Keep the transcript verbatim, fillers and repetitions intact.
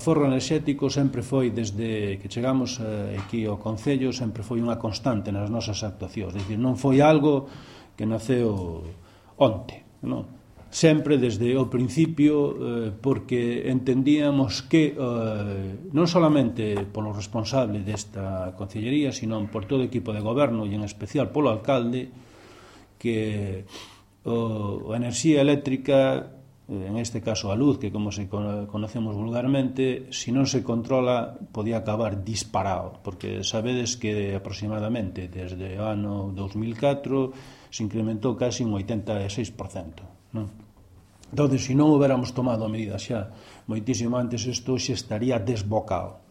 O forro enerxético sempre foi, desde que chegamos aquí ao Concello, sempre foi unha constante nas nosas actuacións. É dicir, non foi algo que naceu onte, non? Sempre desde o principio, porque entendíamos que non solamente polo responsable desta concellería, sino por todo o equipo de goberno e en especial polo alcalde, que a enerxía eléctrica, en este caso a luz, que como se conocemos vulgarmente, se non se controla podía acabar disparado, porque sabedes que aproximadamente desde o ano dos mil catro se incrementou casi un oitenta e seis por cento, non? Entón, se non houbéramos tomado a medida xa moitísimo antes, isto xe estaría desbocado.